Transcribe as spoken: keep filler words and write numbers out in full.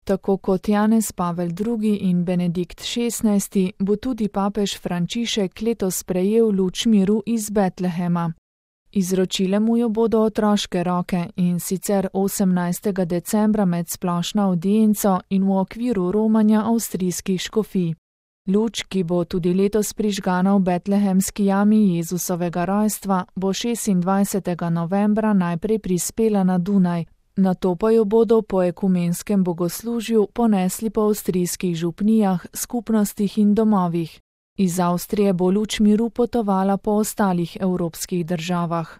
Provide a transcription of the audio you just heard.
Tako kot Janez Pavel drugi in Benedikt šestnajsti bo tudi papež Frančišek letos sprejel luč miru iz Betlehema. Izročile mu jo bodo otroške roke, in sicer osemnajstega decembra med splošno avdienco in v okviru romanja avstrijskih škofij. Luč, ki bo tudi letos prižgana v betlehemski jami Jezusovega rojstva, bo šestindvajsetega novembra najprej prispela na Dunaj, nato pa jo bodo po ekumenskem bogoslužju ponesli po avstrijskih župnijah, skupnostih in domovih. Iz Avstrije bo luč miru potovala po ostalih evropskih državah.